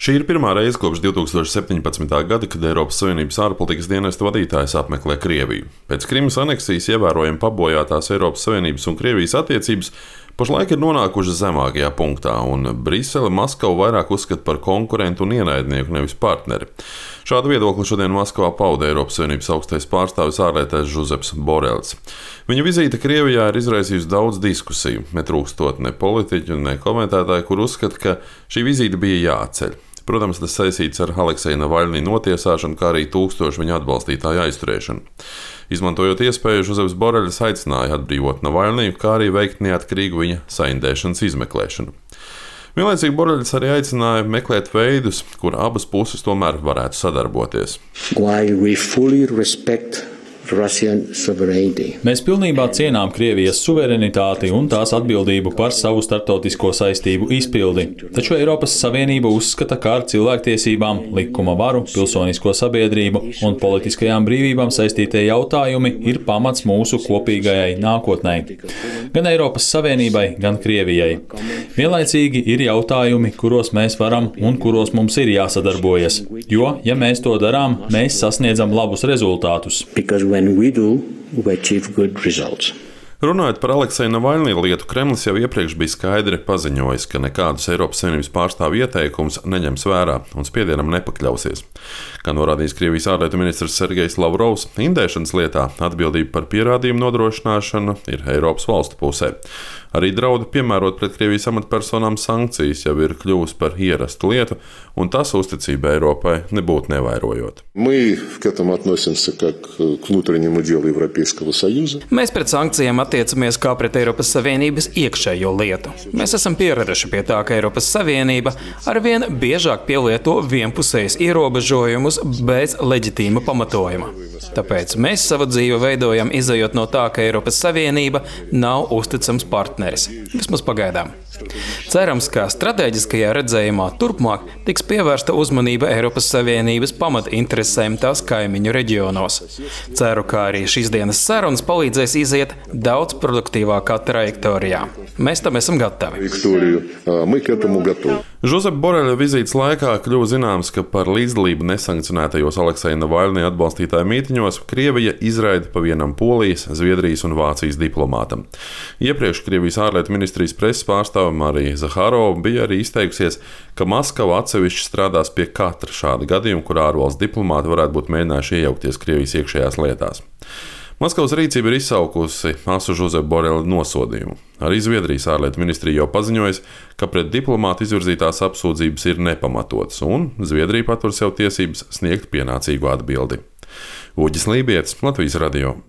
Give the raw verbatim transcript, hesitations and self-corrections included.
Šī ir pirmā reize kopš divi tūkstoši septiņpadsmitā gada, kad Eiropas Savienības ārpolitikas dienesta vadītājs apmeklē Krieviju. Pēc Krimas aneksijas ievērojami pabojātās Eiropas Savienības un Krievijas attiecības pašlaik ir nonākušas zemākajā punktā, un Brisele Maskavu vairāk uzskata par konkurentu un ienaidnieku, nevis partneri. Šādu viedokli šodien Maskavā pauda Eiropas Savienības augstais pārstāvis ārlietēs Žozeps Borels. Viņa vizīte Krievijā ir izraisījusi daudz diskusiju, netrūkstot ne politiķu, ne komentētāju, kur uzskata, ka šī vizīte bija jāatceļ. Protams, tas saistīts ar Alekseja Navaļnī notiesāšanu, kā arī tūkstošu viņa atbalstītāju aizturēšanu. Izmantojot iespēju, Žozeps Borelis aicināja atbrīvot Navaļnī, kā arī veikt neatkarīgu viņa saindēšanas izmeklēšanu. Vienlaicīgi Borelis arī aicināja meklēt veidus, kur abas puses tomēr varētu sadarboties. Mēs pilnībā cienām Krievijas suverenitāti un tās atbildību par savu starptautisko saistību izpildi, taču Eiropas Savienība uzskata, ka ar cilvēktiesībām, likuma varu, pilsonisko sabiedrību un politiskajām brīvībām saistītie jautājumi ir pamats mūsu kopīgajai nākotnē. Gan Eiropas Savienībai, gan Krievijai. Vienlaicīgi ir jautājumi, kuros mēs varam un kuros mums ir jāsadarbojas, jo, ja mēs to darām, mēs sasniedzam labus rezultātus. When we do, we achieve good results. Runājot par Alekseja Navaļnī lietu, Kremlis jau iepriekš bija skaidri paziņojis, ka nekādus Eiropas Savienības pārstāvju ieteikumus neņems vērā un spiedienam nepakļausies. Kā norādījis Krievijas ārlietu ministrs Sergejs Lavrovs, indēšanas lietā atbildība par pierādījumu nodrošināšanu ir Eiropas valstu pusē. Arī draudi piemērot pret Krievijas amatpersonām sankcijas jau ir kļuvusi par ierastu lietu, un tas uzticība Eiropai nebūtu nevairojot. Mēs pret sankcijām attiecamies kā pret Eiropas Savienības iekšējo lietu. Mēs esam pieraduši pie tā, ka Eiropas Savienība arvien biežāk pielieto vienpusējas ierobežojumus bez leģitīma pamatojuma. Tāpēc mēs savu dzīvi veidojam izejot no tā, ka Eiropas Savienība nav uzticams partneris. Vismaz pagaidām. Cerams, ka stratēģiskajā redzējumā turpmāk tiks pievērsta uzmanība Eiropas Savienības pamatinteresēm tās kaimiņu reģionos. Ceru, ka arī šīs dienas sarunas palīdzēs iziet daudz produktīvākā trajektorijā. Mēs tam esam gatavi. Žozepa Boreļa vizītes laikā kļuva zināms, ka par līdzdalību nesankcionētajos Alekseja Navaļnī atbalstītāju mītiņos Krievija izraida pa vienam Polijas, Zviedrijas un Vācijas diplomātam. Iepriekš Krievijas ārlietu ministrijas preses pārstāve Marija Zaharova bija arī izteikusies, ka Maskava atsevišķi strādās pie katra šāda gadījuma, kur ārvalstu diplomāti varētu būt mēģinājuši iejaukties Krievijas iekšējās lietās. Maskavas rīcība ir izsaukusi asu Žozepa Borela nosodījumu. Arī Zviedrijas ārlietu ministrija jau paziņojas, ka pret diplomātu izvirzītās apsūdzības ir nepamatotas, un Zviedrija patver sev tiesības sniegt pienācīgu atbildi. Uģis Lībietis, Latvijas radio.